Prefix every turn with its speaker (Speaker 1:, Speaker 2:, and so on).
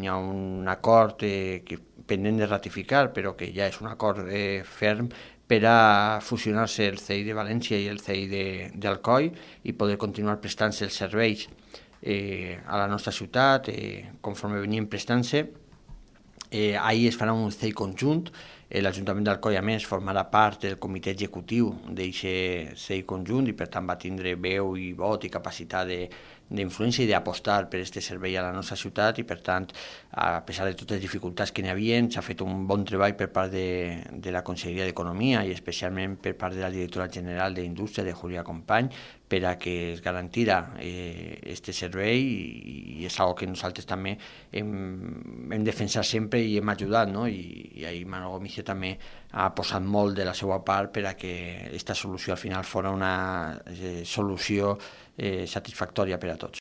Speaker 1: hi ha un acord pendent de ratificar, però que ja és un acord ferm per a fusionar-se el CEI de València i el CEI d'Alcoi i poder continuar prestant-se els serveis a la nostra ciutat conforme venien prestant-se. Ahir es farà un CEI conjunt. L'Ajuntament d'Alcoi, a més, formarà part del comitè executiu d'aquest CEI conjunt i per tant va tindre veu i vot i capacitat d'influència i d'apostar per aquest servei a la nostra ciutat i per tant, a pesar de totes les dificultats que n'hi havia, s'ha fet un bon treball per part de la Conselleria d'Economia i especialment per part de la directora general d'Indústria, de Julia Company, per a que es garantira aquest servei i és una que nosaltres també hem defensat sempre i hem ajudat, no? I ahir Manolo Gomicio també ha posat molt de la seva part per a que aquesta solució al final fos una solució satisfactòria per a tots.